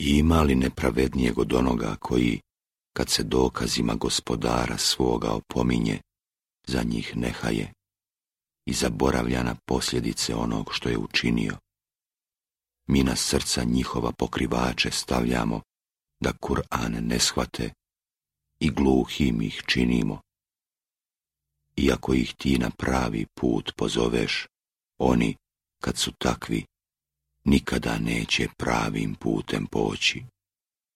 ima li nepravednijeg od onoga koji, kad se dokazima gospodara svoga opominje, za njih nehaje i zaboravlja na posljedice onog što je učinio? Mi na srca njihova pokrivače stavljamo, da Kur'an ne shvate, i gluhim ih činimo. Iako ih ti na pravi put pozoveš, oni, kad su takvi, nikada neće pravim putem poći.